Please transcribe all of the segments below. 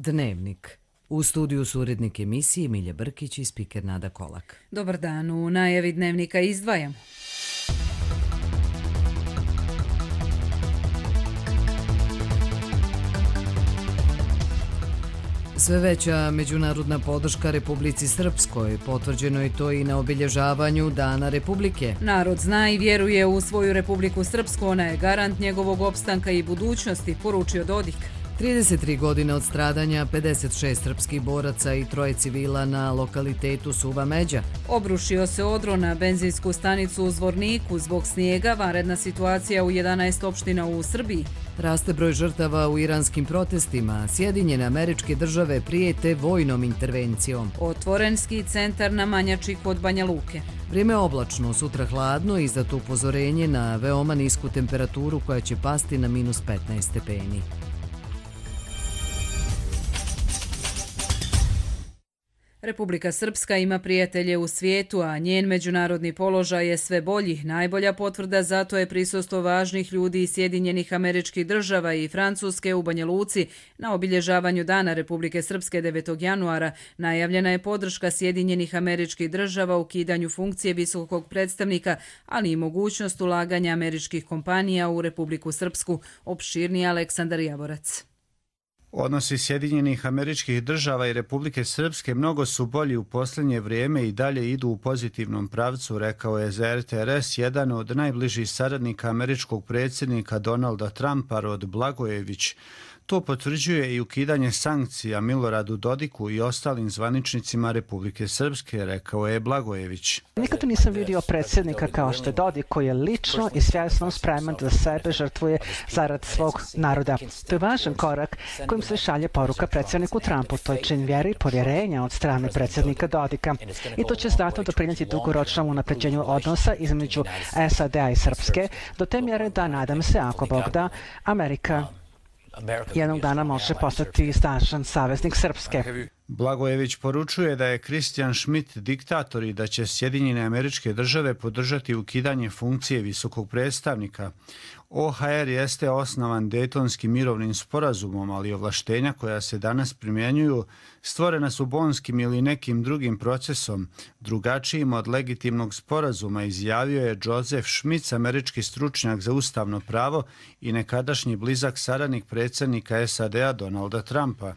Dnevnik. U studiju su urednik emisije Milja Brkić i spiker Nada Kolak. Dobar dan, u najavi Dnevnika izdvajamo. Sve veća međunarodna podrška Republici Srpskoj, potvrđeno je to i na obilježavanju Dana Republike. Narod zna i vjeruje u svoju Republiku Srpsku, ona je garant njegovog opstanka i budućnosti, poručio Dodik. 33 godine od stradanja, 56 srpskih boraca i 3 civila na lokalitetu Suva Međa. Obrušio se odron na benzinsku stanicu u Zvorniku zbog snijega, vanredna situacija u 11 opština u Srbiji. Raste broj žrtava u iranskim protestima, Sjedinjene Američke Države prijete vojnom intervencijom. Otvoren ski centar na Manjači kod Banja Luke. Vrijeme oblačno, sutra hladno, izdato upozorenje na veoma nisku temperaturu koja će pasti na -15 stepeni. Republika Srpska ima prijatelje u svijetu, a njen međunarodni položaj je sve bolji. Najbolja potvrda zato je prisustvo važnih ljudi iz Sjedinjenih Američkih Država i Francuske u Banja Luci na obilježavanju Dana Republike Srpske 9. januara. Najavljena je podrška Sjedinjenih Američkih Država u ukidanju funkcije visokog predstavnika, ali i mogućnost ulaganja američkih kompanija u Republiku Srpsku, opširniji Aleksandar Javorac. Odnosi Sjedinjenih Američkih Država i Republike Srpske mnogo su bolji u posljednje vrijeme i dalje idu u pozitivnom pravcu, rekao je za RTRS jedan od najbližih saradnika američkog predsjednika Donalda Trumpa, Rod Blagojević. To potvrđuje i ukidanje sankcija Miloradu Dodiku i ostalim zvaničnicima Republike Srpske, rekao je Blagojević. Nikada nisam vidio predsjednika kao što je Dodik, koji je lično i svjesno spreman da sebe žrtvuje zarad svog naroda. To je važan korak kojim se šalje poruka predsjedniku Trumpu. To je čin vjere i povjerenja od strane predsjednika Dodika. I to će znatno doprinijeti dugoročnom unapređenju odnosa između SAD-a i Srpske, do te mjere da, nadam se, ako Bog da, Amerika jednog dana može postati snažan saveznik Srpske. Blagojević poručuje da je Christian Schmidt diktator i da će Sjedinjene Američke Države podržati ukidanje funkcije visokog predstavnika. OHR jeste osnovan Dejtonskim mirovnim sporazumom, ali ovlaštenja koja se danas primjenjuju stvorena su Bonskim ili nekim drugim procesom, drugačijim od legitimnog sporazuma, izjavio je Joseph Schmitz, američki stručnjak za ustavno pravo i nekadašnji blizak saradnik predsjednika SAD-a Donalda Trumpa.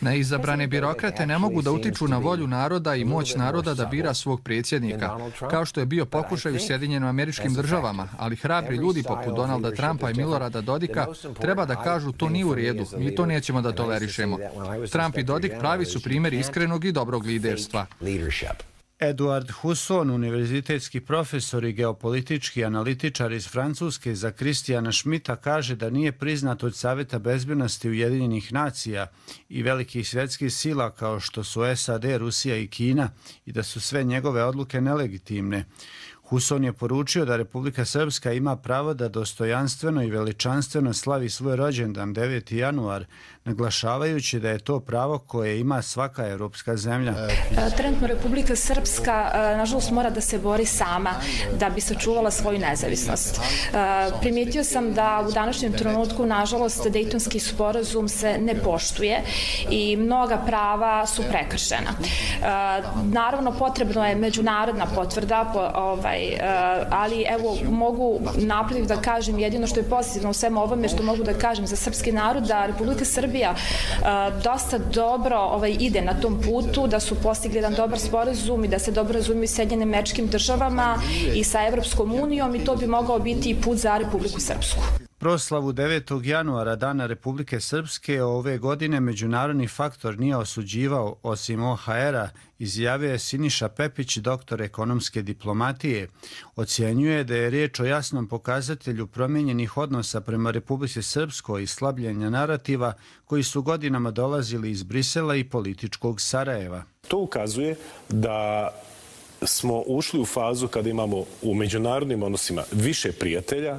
Neizabrane birokrate ne mogu da utiču na volju naroda i moć naroda da bira svog predsjednika, kao što je bio pokušaj u Sjedinjenim Američkim Državama, ali hrabri ljudi poput Donalda Trumpa i Milorada Dodika treba da kažu to nije u redu, mi to nećemo da tolerišemo. Trump i Dodik pravi su primjeri iskrenog i dobrog liderstva. Eduard Husson, univerzitetski profesor i geopolitički analitičar iz Francuske, za Christiana Schmidta kaže da nije priznat od Savjeta bezbjednosti Ujedinjenih nacija i velikih svjetskih sila kao što su SAD, Rusija i Kina i da su sve njegove odluke nelegitimne. Husson je poručio da Republika Srpska ima pravo da dostojanstveno i veličanstveno slavi svoj rođendan 9. januar, naglašavajući da je to pravo koje ima svaka europska zemlja. Trenutno Republika Srpska, nažalost, mora da se bori sama da bi sačuvala svoju nezavisnost. Primijetio sam da u današnjem trenutku, nažalost, Dejtonski sporazum se ne poštuje i mnoga prava su prekršena. Naravno, potrebno je međunarodna potvrda, ali evo mogu napred da kažem jedino što je pozitivno u svemu ovome, što mogu da kažem za srpski narod, da Republika Srbija dosta dobro ide na tom putu, da su postigli jedan dobar sporazum i da se dobro razumiju s Sjedinjenim Američkim Državama i sa Evropskom unijom i to bi mogao biti i put za Republiku Srpsku. Proslavu 9. januara, Dana Republike Srpske, ove godine međunarodni faktor nije osuđivao osim OHR-a, izjavio je Siniša Pepić, doktor ekonomske diplomatije. Ocjenjuje da je riječ o jasnom pokazatelju promijenjenih odnosa prema Republici Srpskoj i slabljenja narativa koji su godinama dolazili iz Brisela i političkog Sarajeva. To ukazuje da smo ušli u fazu kada imamo u međunarodnim odnosima više prijatelja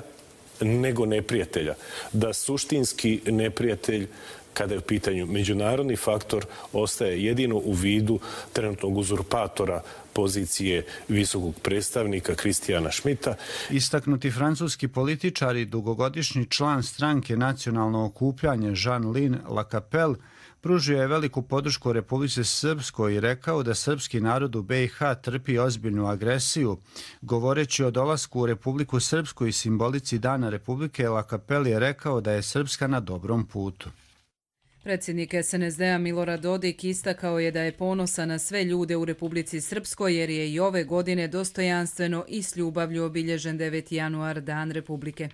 nego neprijatelja. Da suštinski neprijatelj kada je u pitanju međunarodni faktor, ostaje jedino u vidu trenutnog uzurpatora pozicije visokog predstavnika Kristijana Šmita. Istaknuti francuski političar i dugogodišnji član stranke Nacionalno okupljanje Jean-Lin Lacapelle pružio je veliku podršku Republici Srpskoj i rekao da srpski narod u BiH trpi ozbiljnu agresiju. Govoreći o dolasku u Republiku Srpsku i simbolici Dana Republike, Lacapelle je rekao da je Srpska na dobrom putu. Predsjednik SNSD-a Milorad Dodik istakao je da je ponosan na sve ljude u Republici Srpskoj jer je i ove godine dostojanstveno i s ljubavlju obilježen 9. januar, Dan Republike.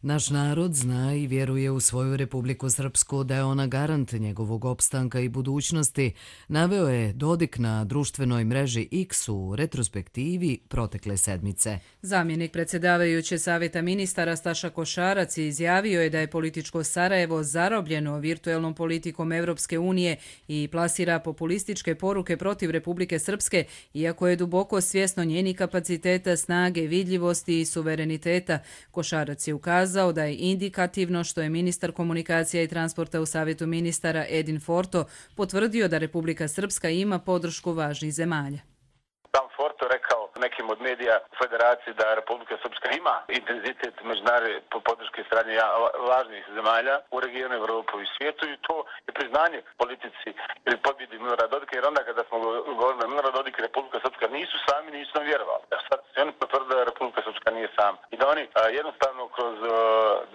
Naš narod zna i vjeruje u svoju Republiku Srpsku da je ona garant njegovog opstanka i budućnosti, naveo je Dodik na društvenoj mreži X u retrospektivi protekle sedmice. Zamjenik predsjedavajuće Savjeta ministara Staša Košarac izjavio je da je političko Sarajevo zarobljeno virtuelnom politikom Evropske unije i plasira populističke poruke protiv Republike Srpske, iako je duboko svjesno njenih kapaciteta, snage, vidljivosti i suvereniteta. Košarac je ukazao da je indikativno što je ministar komunikacija i transporta u Savjetu ministara Edin Forto potvrdio da Republika Srpska ima podršku važnih zemalja. Sam Forto rekao nekim od medija u Federaciji da Republika Srpska ima intenzitet međunarodne podrške strane važnih zemalja u regionu Evropu i svijetu i to je priznanje politici ili pobjedi Milorada Dodika, jer onda kada smo govorili da Milorad Dodik i Republika Srpska nisu sami, nisu nam vjerovali. Sad se oni potvrde da Republika Srpska nije sam i da oni jednostavno kroz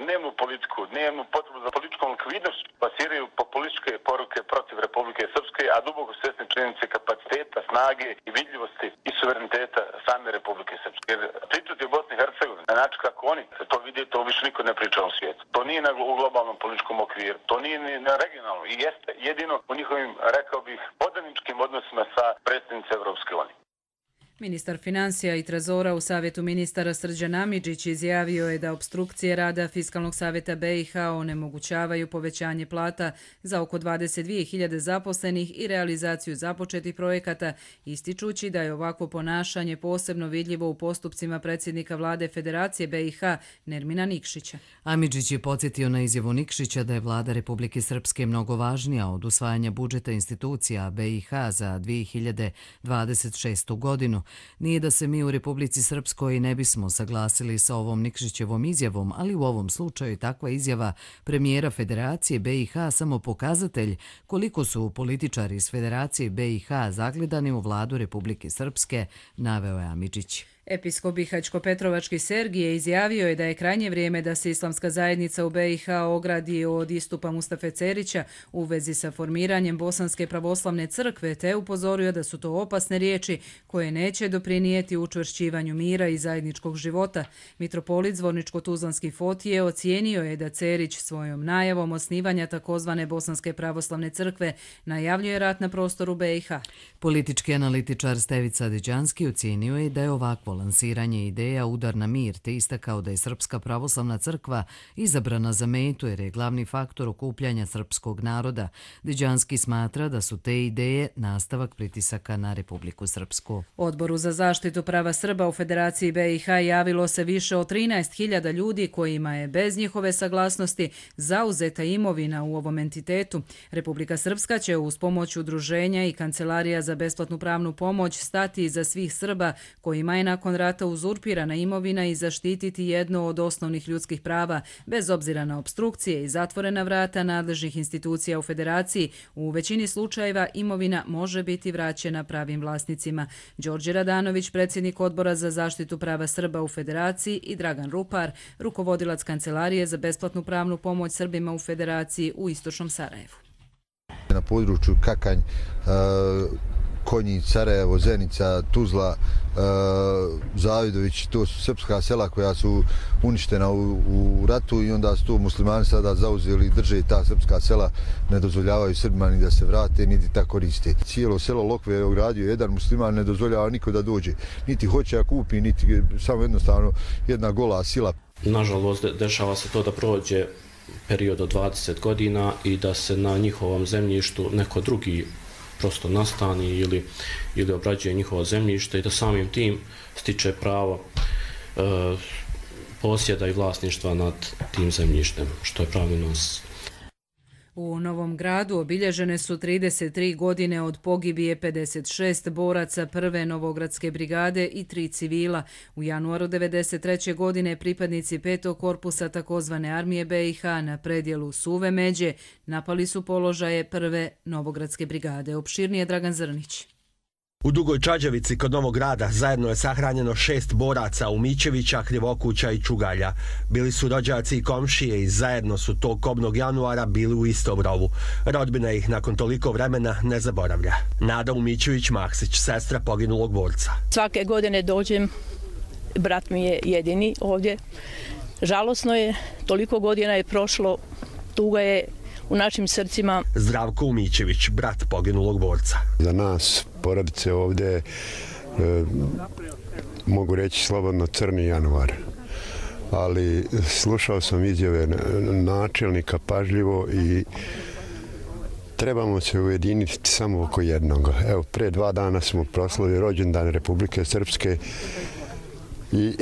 dnevnu politiku, dnevnu potrebu za političkom likvidnošću plasiraju populističke poruke protiv Republike Srpske, a duboko svjesni činjenice kapaciteta, snage i vidljivosti i suvereniteta same Republike Srpske. Jer pričati o Bosni i Hercegovini na način kako oni se to vidi, to više niko ne priča u svijetu. To nije u globalnom političkom okviru, to nije ni na regionalnom i jeste jedino u njihovim, rekao bih, podaničkim odnosima sa predsjednicom Evropske unije. Ministar financija i trezora u Savjetu ministara Srđan Amidžić izjavio je da opstrukcije rada Fiskalnog savjeta BiH onemogućavaju povećanje plata za oko 22.000 zaposlenih i realizaciju započetih projekata, ističući da je ovakvo ponašanje posebno vidljivo u postupcima predsjednika vlade Federacije BiH Nermina Nikšića. Amidžić je podsjetio na izjavu Nikšića da je vlada Republike Srpske mnogo važnija od usvajanja budžeta institucija BiH za 2026. godinu. Nije da se mi u Republici Srpskoj ne bismo saglasili sa ovom Nikšićevom izjavom, ali u ovom slučaju takva izjava premijera Federacije BiH samo pokazatelj koliko su političari iz Federacije BiH zagledani u vladu Republike Srpske, naveo je Amidžić. Episkop Bihaćko-Petrovački Sergije izjavio je da je krajnje vrijeme da se islamska zajednica u BiH ogradi od istupa Mustafe Cerića u vezi sa formiranjem Bosanske pravoslavne crkve, te upozorio da su to opasne riječi koje neće doprinijeti učvršćivanju mira i zajedničkog života. Mitropolit Zvorničko-Tuzlanski Fotije ocijenio je da Cerić svojom najavom osnivanja takozvane Bosanske pravoslavne crkve najavljuje rat na prostoru BiH. Politički analitičar Stevica Deđanski ocijenio je da je ovakvo lansiranje ideja udar na mir, te istakao da je Srpska pravoslavna crkva izabrana za metu jer je glavni faktor okupljanja srpskog naroda. Deđanski smatra da su te ideje nastavak pritisaka na Republiku Srpsku. Odboru za zaštitu prava Srba u Federaciji BiH javilo se više od 13.000 ljudi kojima je bez njihove saglasnosti zauzeta imovina u ovom entitetu. Republika Srpska će uz pomoć udruženja i Kancelarija za besplatnu pravnu pomoć stati iza svih Srba kojima je nakon rata uzurpirana imovina i zaštititi jedno od osnovnih ljudskih prava, bez obzira na opstrukcije i zatvorena vrata nadležnih institucija u Federaciji. U većini slučajeva imovina može biti vraćena pravim vlasnicima. Đorđe Radanović, predsjednik Odbora za zaštitu prava Srba u Federaciji, i Dragan Rupar, rukovodilac Kancelarije za besplatnu pravnu pomoć Srbima u Federaciji u Istočnom Sarajevu. Na području Kakanj, Konjić, Sarajevo, Zenica, Tuzla, Zavidović, to su srpska sela koja su uništena u ratu i onda su to muslimani sada zauzeli i drže ta srpska sela, ne dozvoljavaju Srbima ni da se vrate, niti ta koriste. Cijelo selo Lokve je ogradio jedan musliman, ne dozvoljava niko da dođe, niti hoće da kupi, niti samo jednostavno jedna gola sila. Nažalost, dešava se to da prođe period od 20 godina i da se na njihovom zemljištu neko drugi prosto nastani ili obrađuje njihovo zemljište i da samim tim stiče pravo posjeda i vlasništva nad tim zemljištem, što je pravni nonsens. U Novom Gradu obilježene su 33 godine od pogibije 56 boraca prve Novogradske brigade i 3 civila. U januaru 1993. godine pripadnici 5. korpusa takozvane armije BiH na predjelu Suve Međe napali su položaje prve Novogradske brigade. Opširnije Dragan Zrnić. U Dugoj Čađavici kod Novog Grada zajedno je sahranjeno 6 boraca Umićevića, Krivokuća i Čugalja. Bili su rođaci i komšije i zajedno su tog kobnog januara bili u istom rovu. Rodbina ih nakon toliko vremena ne zaboravlja. Nada Umićević-Maksić, sestra poginulog borca. Svake godine dođem, brat mi je jedini ovdje. Žalosno je, toliko godina je prošlo, tuga je u našim srcima. Zdravko Umićević, brat poginulog borca. Za nas, porodice ovdje, mogu reći slobodno crni januar. Ali slušao sam izjave načelnika pažljivo i trebamo se ujediniti samo oko jednog. Evo, pre 2 dana smo proslavili rođendan Republike Srpske i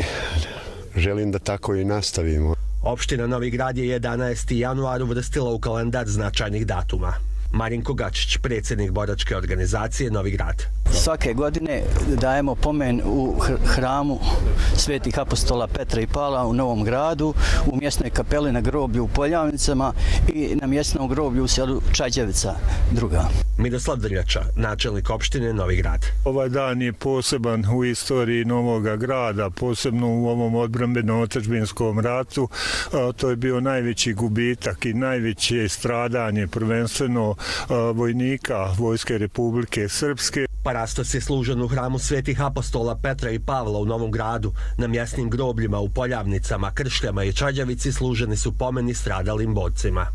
želim da tako i nastavimo. Opština Novi Grad je 11. januar uvrstila u kalendar značajnih datuma. Marinko Gačić, predsjednik boračke organizacije Novi Grad. Svake godine dajemo pomen u hramu Svetih apostola Petra i Pavla u Novom Gradu, u mjesnoj kapeli na groblju u Poljavnicama i na mjesnom groblju u selu Čađavica druga. Miroslav Drljača, načelnik opštine Novi Grad. Ovaj dan je poseban u istoriji Novog Grada, posebno u ovom odbrambeno-otadžbinskom ratu. To je bio najveći gubitak i najveće stradanje, prvenstveno vojnika Vojske Republike Srpske. Parastos je služen u hramu Svetih apostola Petra i Pavla u Novom Gradu. Na mjesnim grobljima u Poljavnicama, Kršljama i Čađavici služeni su pomeni stradalim borcima.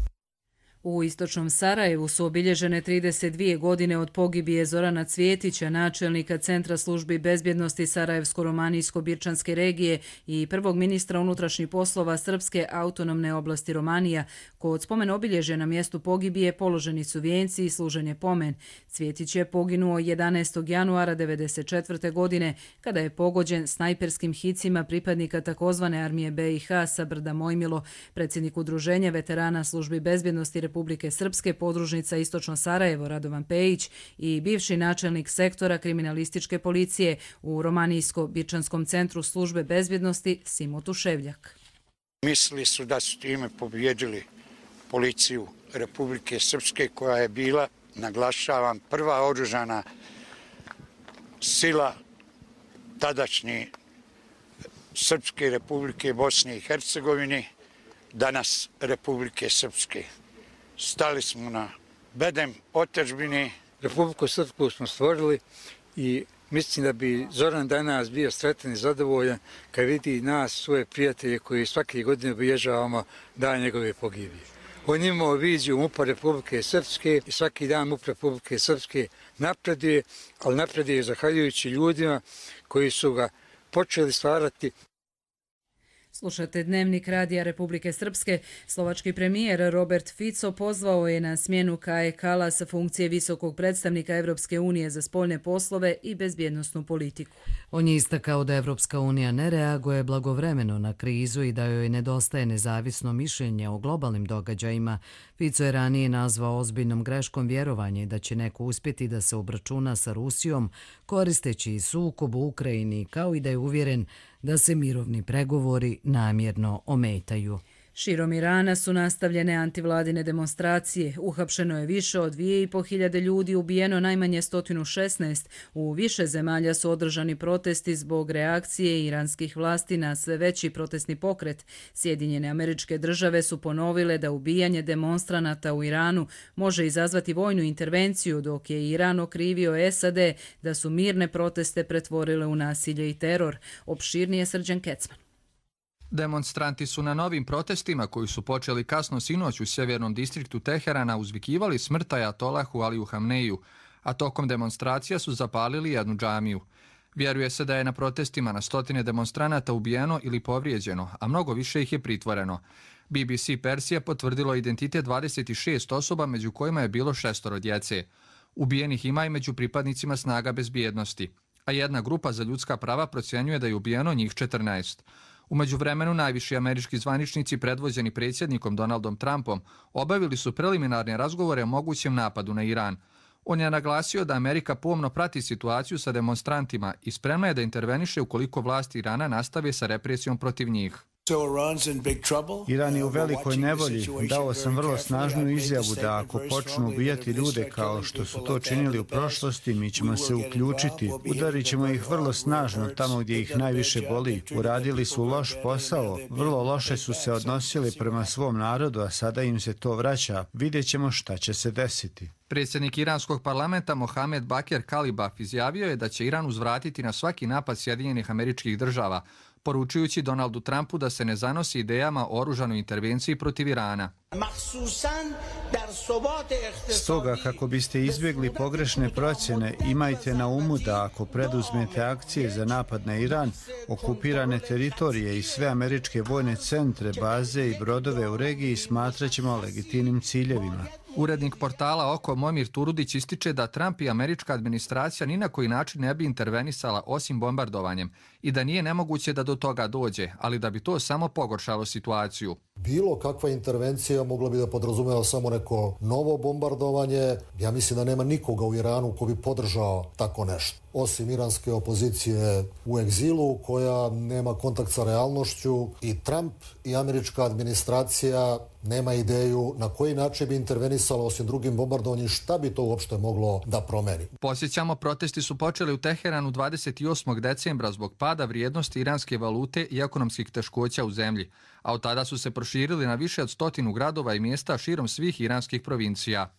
U istočnom Sarajevu su obilježene 32 godine od pogibije Zorana Cvjetića, načelnika Centra službi bezbjednosti Sarajevsko-Romanijsko-Birčanske regije i prvog ministra unutrašnjih poslova Srpske autonomne oblasti Romanija. Kod spomen obilježja na mjestu pogibije položeni su vijenci i služen je pomen. Cvjetić je poginuo 11. januara 1994. godine kada je pogođen snajperskim hicima pripadnika takozvane armije BiH sa brda Mojmilo. Predsjednik udruženja veterana službi bezbjednosti Republike Srpske, podružnica Istočno Sarajevo Radovan Pejić i bivši načelnik sektora kriminalističke policije u Romanijsko-Birčanskom centru službe bezbjednosti Simo Tuševljak. Mislili su da su time pobijedili policiju Republike Srpske koja je bila, naglašavam, prva oružana sila tadašnje Srpske Republike Bosne i Hercegovine, danas Republike Srpske. Stali smo na bedem otadžbine. Republiku Srpsku smo stvorili i mislim da bi Zoran danas bio sretan i zadovoljan kad vidi nas, svoje prijatelje koji svake godine obilježavamo dan njegove pogibije. On imao viziju MUP-a Republike Srpske i svaki dan MUP Republike Srpske napreduje, ali napreduje zahvaljujući ljudima koji su ga počeli stvarati. Slušate Dnevnik Radija Republike Srpske. Slovački premijer Robert Fico pozvao je na smjenu Kaje Kallas sa funkcije visokog predstavnika Evropske unije za spoljne poslove i bezbjednosnu politiku. On je istakao da Evropska unija ne reaguje blagovremeno na krizu i da joj nedostaje nezavisno mišljenje o globalnim događajima. Fico je ranije nazvao ozbiljnom greškom vjerovanje da će neko uspjeti da se obračuna sa Rusijom koristeći sukob u Ukrajini, kao i da je uvjeren da se mirovni pregovori namjerno ometaju. Širom Irana su nastavljene antivladine demonstracije. Uhapšeno je više od 2.500 ljudi, ubijeno najmanje 116. U više zemalja su održani protesti zbog reakcije iranskih vlasti na sve veći protestni pokret. Sjedinjene Američke Države su ponovile da ubijanje demonstranata u Iranu može izazvati vojnu intervenciju, dok je Iran okrivio SAD da su mirne proteste pretvorile u nasilje i teror. Opširnije Srđan Kecman. Demonstranti su na novim protestima koji su počeli kasno sinoć u sjevernom distriktu Teherana uzvikivali smrt ajatolahu Aliju Hamneiju, a tokom demonstracija su zapalili jednu džamiju. Vjeruje se da je na protestima na stotine demonstranata ubijeno ili povrijeđeno, a mnogo više ih je pritvoreno. BBC Persija potvrdilo identitet 26 osoba, među kojima je bilo 6 djece. Ubijenih ima i među pripadnicima snaga bezbjednosti, a jedna grupa za ljudska prava procjenjuje da je ubijeno njih 14. U međuvremenu, najviši američki zvaničnici predvođeni predsjednikom Donaldom Trumpom obavili su preliminarne razgovore o mogućem napadu na Iran. On je naglasio da Amerika pomno prati situaciju sa demonstrantima i spremna je da interveniše ukoliko vlasti Irana nastave sa represijom protiv njih. Iran je u velikoj nevolji. Dao sam vrlo snažnu izjavu da ako počnu ubijati ljude kao što su to činili u prošlosti, mi ćemo se uključiti. Udarit ćemo ih vrlo snažno tamo gdje ih najviše boli. Uradili su loš posao, vrlo loše su se odnosili prema svom narodu, a sada im se to vraća. Vidjet ćemo šta će se desiti. Predsjednik iranskog parlamenta Mohamed Bakir Kalibaf izjavio je da će Iran uzvratiti na svaki napad Sjedinjenih Američkih Država, poručujući Donaldu Trumpu da se ne zanosi idejama o oružanoj intervenciji protiv Irana. Stoga, kako biste izbjegli pogrešne procjene, imajte na umu da ako preduzmete akcije za napad na Iran, okupirane teritorije i sve američke vojne centre, baze i brodove u regiji smatraćemo legitimnim ciljevima. Urednik portala Oko Momir Turudić ističe da Trump i američka administracija ni na koji način ne bi intervenisala osim bombardovanjem i da nije nemoguće da do toga dođe, ali da bi to samo pogoršalo situaciju. Bilo kakva intervencija mogla bi da podrazumeva samo neko novo bombardovanje. Ja mislim da nema nikoga u Iranu ko bi podržao tako nešto. Osim iranske opozicije u egzilu koja nema kontakt sa realnošću, i Trump i američka administracija nema ideju na koji način bi intervenisala osim drugim bombardovanjem, šta bi to uopšte moglo da promeni. Posjećamo, protesti su počeli u Teheranu 28. decembra zbog pada vrijednosti iranske valute i ekonomskih teškoća u zemlji, a od tada su se proširili na više od 100 gradova i mjesta širom svih iranskih provincija.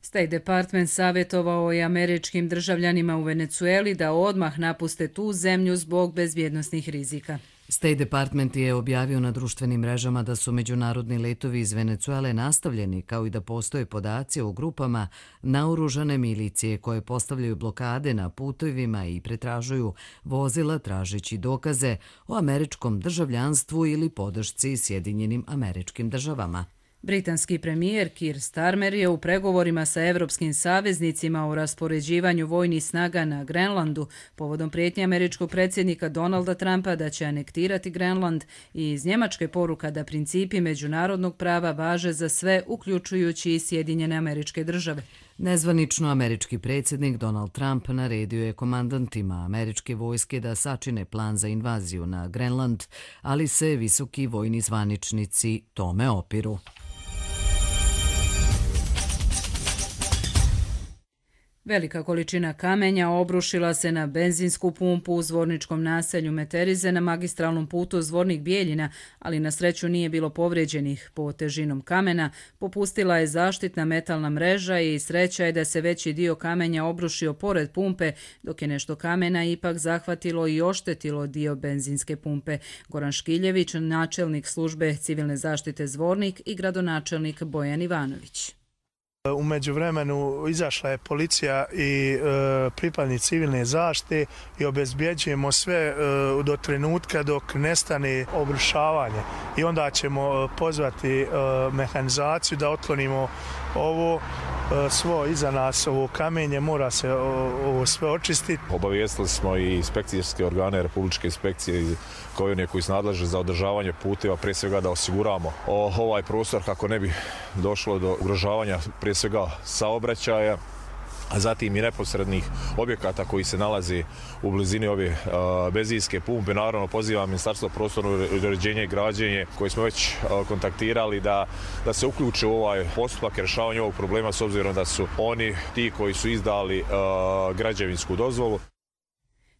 State Department savjetovao je američkim državljanima u Venecueli da odmah napuste tu zemlju zbog bezbjednosnih rizika. State Department je objavio na društvenim mrežama da su međunarodni letovi iz Venecuele nastavljeni, kao i da postoje podaci o grupama naoružane milicije koje postavljaju blokade na putovima i pretražuju vozila tražeći dokaze o američkom državljanstvu ili podršci Sjedinjenim Američkim Državama. Britanski premijer Keir Starmer je u pregovorima sa evropskim saveznicima o raspoređivanju vojnih snaga na Grenlandu povodom prijetnje američkog predsjednika Donalda Trumpa da će anektirati Grenland i iz Njemačke poruka da principi međunarodnog prava važe za sve, uključujući i Sjedinjene Američke Države. Nezvanično američki predsjednik Donald Trump naredio je komandantima američke vojske da sačine plan za invaziju na Grenland, ali se visoki vojni zvaničnici tome opiru. Velika količina kamenja obrušila se na benzinsku pumpu u zvorničkom naselju Meterize na magistralnom putu Zvornik-Bijeljina, ali na sreću nije bilo povrijeđenih. Po težinom kamena popustila je zaštitna metalna mreža i sreća je da se veći dio kamenja obrušio pored pumpe, dok je nešto kamena ipak zahvatilo i oštetilo dio benzinske pumpe. Goran Škiljević, načelnik službe civilne zaštite Zvornik, i gradonačelnik Bojan Ivanović. U međuvremenu izašla je policija i pripadnici civilne zaštite i obezbjeđujemo sve do trenutka dok nestane obrušavanje. I onda ćemo pozvati mehanizaciju da otklonimo ovo svo iza nas, ovo kamenje, mora se ovo sve očistiti. Obavijestili smo i inspekcijske organe, republičke inspekcije kao i one koji su nadležni za održavanje puteva, prije svega da osiguramo ovaj prostor kako ne bi došlo do ugrožavanja prije svega saobraćaja, a zatim i neposrednih objekata koji se nalazi u blizini ove benzinske pumpe. Naravno, pozivam Ministarstvo prostornog uređenja i građenja koji smo već kontaktirali da se uključe u ovaj postupak rješavanja ovog problema, s obzirom da su oni ti koji su izdali građevinsku dozvolu.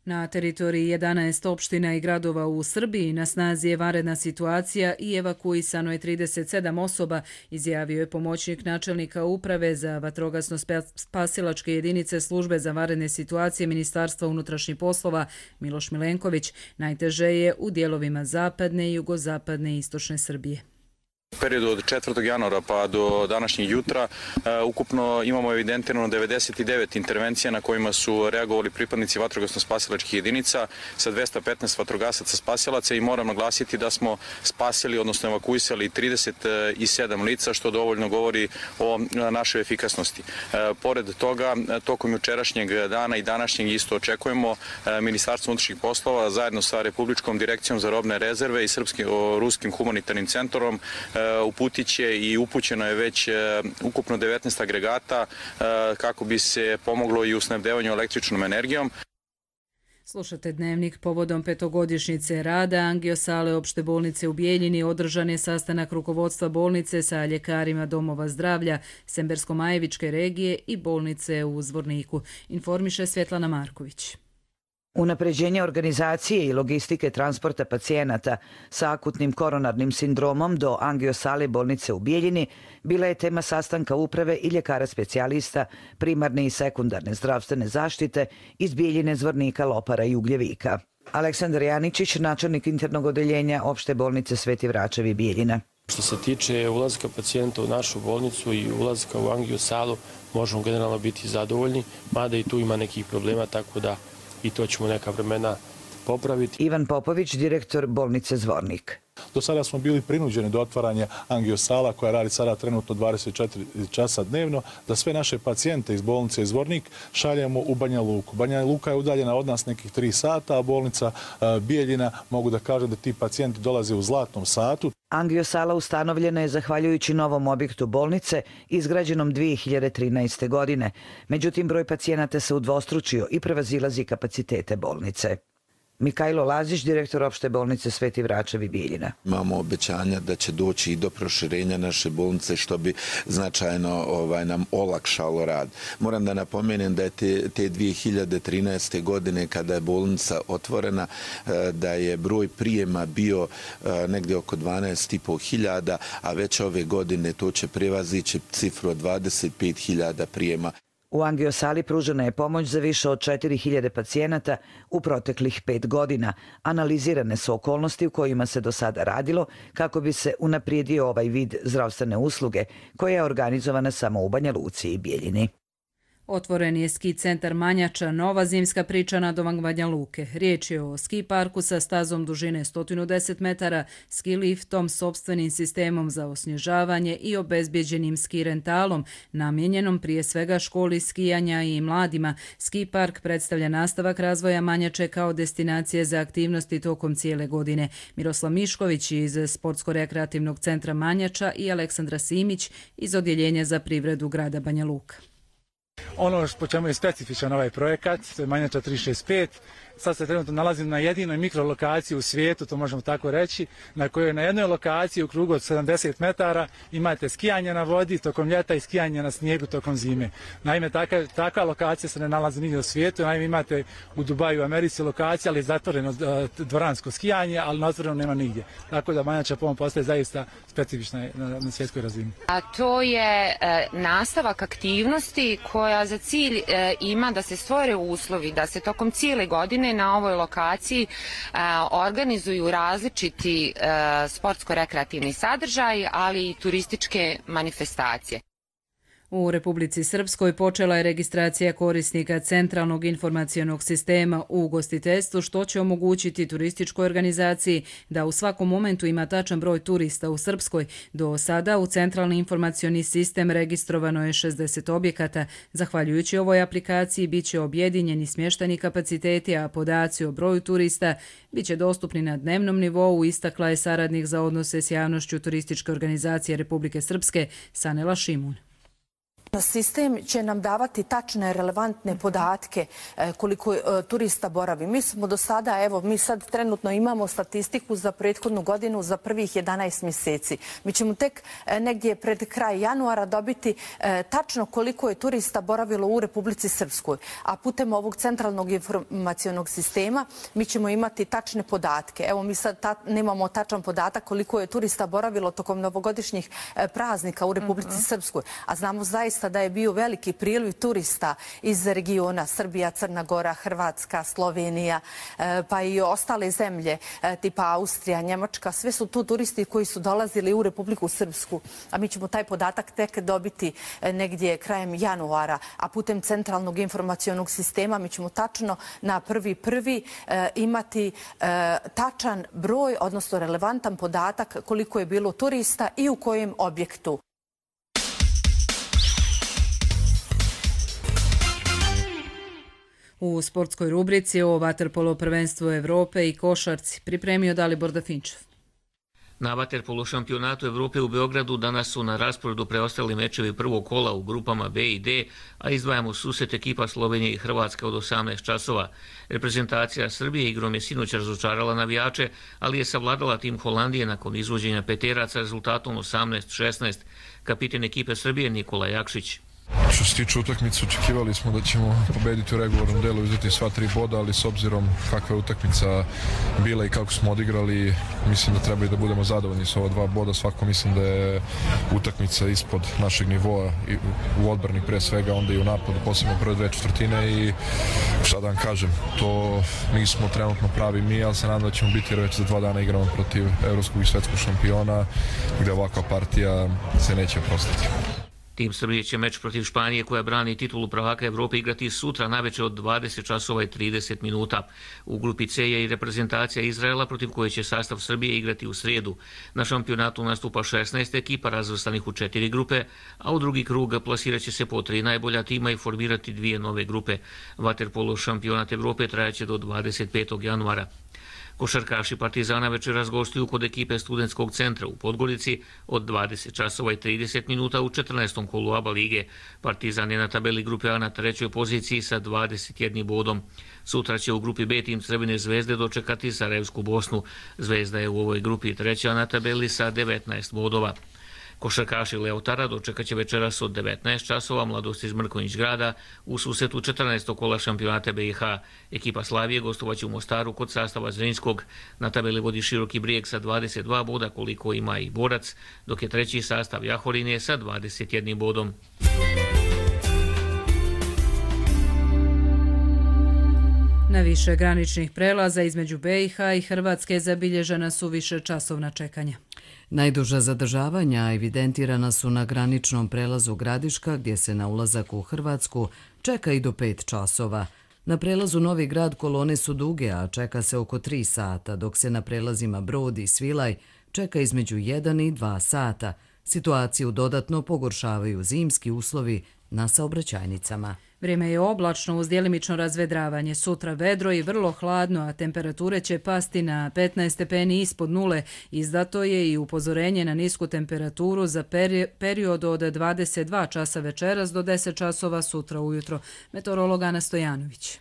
Na teritoriji 11 opština i gradova u Srbiji na snazi je vanredna situacija i evakuisano je 37 osoba, izjavio je pomoćnik načelnika uprave za vatrogasno-spasilačke jedinice službe za vanredne situacije Ministarstva unutrašnjih poslova Miloš Milenković. Najteže je u dijelovima zapadne, jugozapadne i istočne Srbije. U periodu od 4. januara pa do današnjeg jutra ukupno imamo evidentirano 99 intervencija na kojima su reagovali pripadnici vatrogasno-spasilačkih jedinica sa 215 vatrogasaca spasilaca i moram naglasiti da smo spasili, odnosno evakuisali 37 lica, što dovoljno govori o našoj efikasnosti. Pored toga, tokom jučerašnjeg dana i današnjeg isto očekujemo Ministarstvo unutrašnjih poslova zajedno sa Republičkom direkcijom za robne rezerve i Ruskim humanitarnim centrom uputit će i upućeno je već ukupno 19 agregata kako bi se pomoglo i u snabdevanju električnom energijom. Slušate Dnevnik povodom petogodišnjice rada angiosale opšte bolnice u Bijeljini. Održan je sastanak rukovodstva bolnice sa ljekarima domova zdravlja Sembersko-Majevičke regije i bolnice u Zvorniku. Informiše Svjetlana Marković. Unapređenje organizacije i logistike transporta pacijenata sa akutnim koronarnim sindromom do angiosale bolnice u Bijeljini bila je tema sastanka uprave i ljekara specijalista primarne i sekundarne zdravstvene zaštite iz Bijeljine, Zvornika, Lopara i Ugljevika. Aleksandar Janičić, načelnik internog odeljenja opšte bolnice Sveti Vračevi Bijeljina. Što se tiče ulazka pacijenta u našu bolnicu i ulazka u angiosalu, možemo generalno biti zadovoljni, mada i tu ima nekih problema, tako da i to ćemo neka vremena popraviti. Ivan Popović, direktor bolnice Zvornik. Do sada smo bili prinuđeni do otvaranja angiosala koja radi sada trenutno 24 časa dnevno, da sve naše pacijente iz bolnice Zvornik šaljemo u Banja Luku. Banja Luka je udaljena od nas nekih 3 sata, a bolnica Bijeljina mogu da kažem da ti pacijenti dolaze u zlatnom satu. Angiosala ustanovljena je zahvaljujući novom objektu bolnice izgrađenom 2013. godine. Međutim, broj pacijenata se udvostručio i prevazilazi kapacitete bolnice. Mikajlo Lazić, direktor opšte bolnice Sveti Vračevi Bijeljina. Imamo obećanja da će doći i do proširenja naše bolnice, što bi značajno nam olakšalo rad. Moram da napomenem da je te 2013. godine kada je bolnica otvorena, da je broj prijema bio negdje oko 12.500, a već ove godine to će prevazići cifru od 25.000 prijema. U angiosali pružena je pomoć za više od 4.000 pacijenata u proteklih 5 godina. Analizirane su okolnosti u kojima se do sada radilo kako bi se unaprijedio ovaj vid zdravstvene usluge koja je organizovana samo u Banja Luci i Bijeljini. Otvoren je ski centar Manjača, nova zimska priča nadomak Banja Luke. Riječ je o ski parku sa stazom dužine 110 metara, ski liftom, sopstvenim sistemom za osnježavanje i obezbjeđenim ski rentalom, namijenjenom prije svega školi skijanja i mladima. Ski park predstavlja nastavak razvoja Manjače kao destinacije za aktivnosti tokom cijele godine. Miroslav Mišković iz Sportsko-rekreativnog centra Manjača i Aleksandra Simić iz Odjeljenja za privredu grada Banja Luka. Ono po čemu je specifičan ovaj projekat, to je Manjača 365. Sad se trenutno nalazim na jedinoj mikrolokaciji u svijetu, to možemo tako reći, na kojoj na jednoj lokaciji u krugu od 70 metara imate skijanje na vodi tokom ljeta i skijanje na snijegu tokom zime. Naime, takva lokacija se ne nalazi nigdje u svijetu. Naime, imate u Dubaju u Americi lokaciju, ali je zatvoreno dvoransko skijanje, ali na otvorenom nema nigdje. Tako da Manjača po ovom postaje zaista specifična na svjetskoj razini. A to je nastavak aktivnosti koja za cilj ima da se stvore uslovi, da se tokom cijele godine na ovoj lokaciji organizuju različiti sportsko-rekreativni sadržaj, ali i turističke manifestacije. U Republici Srpskoj počela je registracija korisnika centralnog informacionog sistema u ugostiteljstvu, što će omogućiti turističkoj organizaciji da u svakom momentu ima tačan broj turista u Srpskoj. Do sada u centralni informacioni sistem registrovano je 60 objekata. Zahvaljujući ovoj aplikaciji bit će objedinjeni smješteni kapaciteti, a podaci o broju turista bit će dostupni na dnevnom nivou, istakla je saradnik za odnose s javnošću turističke organizacije Republike Srpske Sanela Šimun. Sistem će nam davati tačne, relevantne podatke koliko turista boravi. Mi smo do sada, evo, mi sad trenutno imamo statistiku za prethodnu godinu za prvih 11 mjeseci. Mi ćemo tek negdje pred kraj januara dobiti tačno koliko je turista boravilo u Republici Srpskoj. A putem ovog centralnog informacionog sistema mi ćemo imati tačne podatke. Evo, mi sad nemamo tačan podatak koliko je turista boravilo tokom novogodišnjih praznika u Republici Srpskoj. A znamo zaista zaista da je bio veliki priliv turista iz regiona Srbija, Crna Gora, Hrvatska, Slovenija, pa i ostale zemlje tipa Austrija, Njemačka. Sve su tu turisti koji su dolazili u Republiku Srpsku, a mi ćemo taj podatak tek dobiti negdje krajem januara, a putem centralnog informacionog sistema mi ćemo tačno na 1.1. imati tačan broj, odnosno relevantan podatak koliko je bilo turista i u kojem objektu. U sportskoj rubrici o vaterpolo prvenstvu Evrope i košarci pripremio Dalibor Dafinčev. Na vaterpolo šampionatu Evrope u Beogradu danas su na rasporedu preostali mečevi prvog kola u grupama B i D, a izdvajamo susret ekipa Slovenije i Hrvatske od 18 časova. Reprezentacija Srbije igrom je sinoć razočarala navijače, ali je savladala tim Holandije nakon izvođenja peteraca rezultatom 18-16. Kapiten ekipe Srbije Nikola Jakšić. Što se tiče utakmice, očekivali smo da ćemo pobediti u regularnom delu i uzeti sva 3 boda, ali s obzirom kakva je utakmica bila i kako smo odigrali, mislim da treba i da budemo zadovoljni s ova 2 boda. Svako mislim da je utakmica ispod našeg nivoa i u odbrani pre svega, onda i u napadu, posebno prve 2 četvrtine i šta da vam kažem, to nismo trenutno pravi mi, ali se nadam da ćemo biti jer već za 2 dana igramo protiv evropskog i svetskog šampiona gde ovakva partija se neće oprostiti. Tim Srbije će meč protiv Španije koja brani titulu prvaka Evrope igrati sutra naveče od 20 časova i 30 minuta. U grupi C je i reprezentacija Izraela protiv koje će sastav Srbije igrati u srijedu. Na šampionatu nastupa 16 ekipa razvrstanih u 4 grupe, a u drugi krug plasirat će se po 3 najbolja tima i formirati 2 nove grupe. Vaterpolo šampionat Evrope trajaće do 25. januara. Košarkaši Partizana večeras gostuju kod ekipe Studentskog centra u Podgorici od 20 časova i 30 minuta u 14. kolu ABA lige. Partizan je na tabeli grupe A na 3. poziciji sa 21 bodom. Sutra će u grupi B tim Crvene zvezde dočekati Sarajevsku Bosnu. Zvezda je u ovoj grupi 3. na tabeli sa 19 bodova. Košarkaši Leotara dočekat će večeras od 19 časova Mladost iz Mrkonjić grada u susretu 14. kola šampionata BiH. Ekipa Slavije gostovaće u Mostaru kod sastava Zrinjskog. Na tabeli vodi Široki Brijeg sa 22 boda koliko ima i Borac, dok je 3. sastav Jahorine sa 21 bodom. Na više graničnih prelaza između BiH i Hrvatske zabilježena su više časovna čekanja. Najduža zadržavanja evidentirana su na graničnom prelazu Gradiška, gdje se na ulazak u Hrvatsku čeka i do 5 časova. Na prelazu Novi Grad kolone su duge, a čeka se oko 3 sata, dok se na prelazima Brod i Svilaj čeka između 1 i 2 sata. Situaciju dodatno pogoršavaju zimski uslovi na saobraćajnicama. Vrijeme je oblačno uz djelimično razvedravanje. Sutra vedro i vrlo hladno, a temperature će pasti na 15 stepeni ispod nule. Izdato je i upozorenje na nisku temperaturu za period od 22 časa večeras do 10 časova sutra ujutro. Meteorolog Ana Stojanović.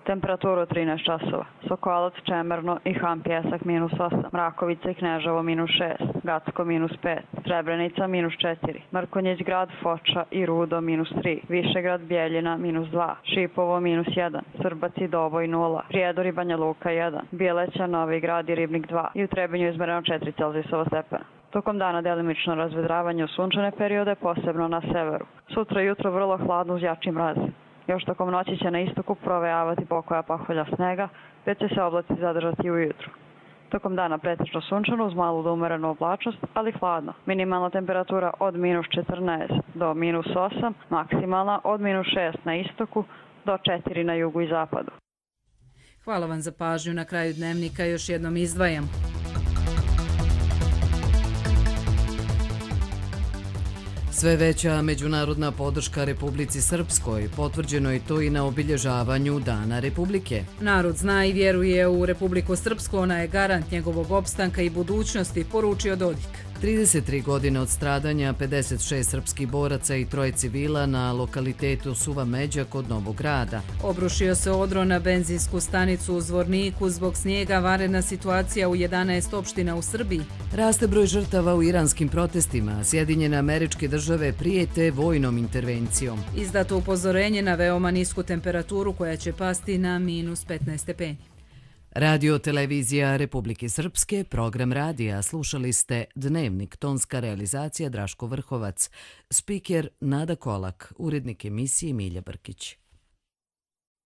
Temperaturu 13 časova. Sokolac, Čemerno i Han Pjesak -8. Mrakovica i Kneževo -6. Gacko -5. Srebrenica -4. Mrkonjić grad, Foča i Rudo -3. Višegrad, Bjeljina -2. Šipovo -1. Srbac i Doboj 0. Prijedor i Banja Luka 1. Bjeleća, Novi Grad i Ribnik 2. I u Trebinju izmereno 4 Celzijusova stepena. Tokom dana delimično razvedravanje u sunčane periode, posebno na severu. Sutra jutro vrlo hladno uz jači mraz. Još tokom noći će na istoku provejavati pokoja paholja snega, već će se oblaci zadržati ujutru. Tokom dana pretečno sunčano uz malu do umerenu oblačnost, ali hladno. Minimalna temperatura od -14 do -8, maksimalna od -6 na istoku do 4 na jugu i zapadu. Hvala vam za pažnju. Na kraju dnevnika još jednom izdvajam. Sve veća međunarodna podrška Republici Srpskoj, potvrđeno je to i na obilježavanju Dana Republike. Narod zna i vjeruje u Republiku Srpsku, ona je garant njegovog opstanka i budućnosti, poručio Dodik. 33 godine od stradanja 56 srpskih boraca i 3 civila na lokalitetu Suva Međa kod Novog Grada. Obrušio se odro na benzinsku stanicu u Zvorniku zbog snijega, vanredna situacija u 11 opština u Srbiji. Raste broj žrtava u iranskim protestima, Sjedinjene Američke Države prijete vojnom intervencijom. Izdato upozorenje na veoma nisku temperaturu koja će pasti na -15 stepeni. Radio televizija Republike Srpske, program radija. Slušali ste Dnevnik, tonska realizacija Draško Vrhovac, spiker Nada Kolak, urednik emisije Milja Brkić.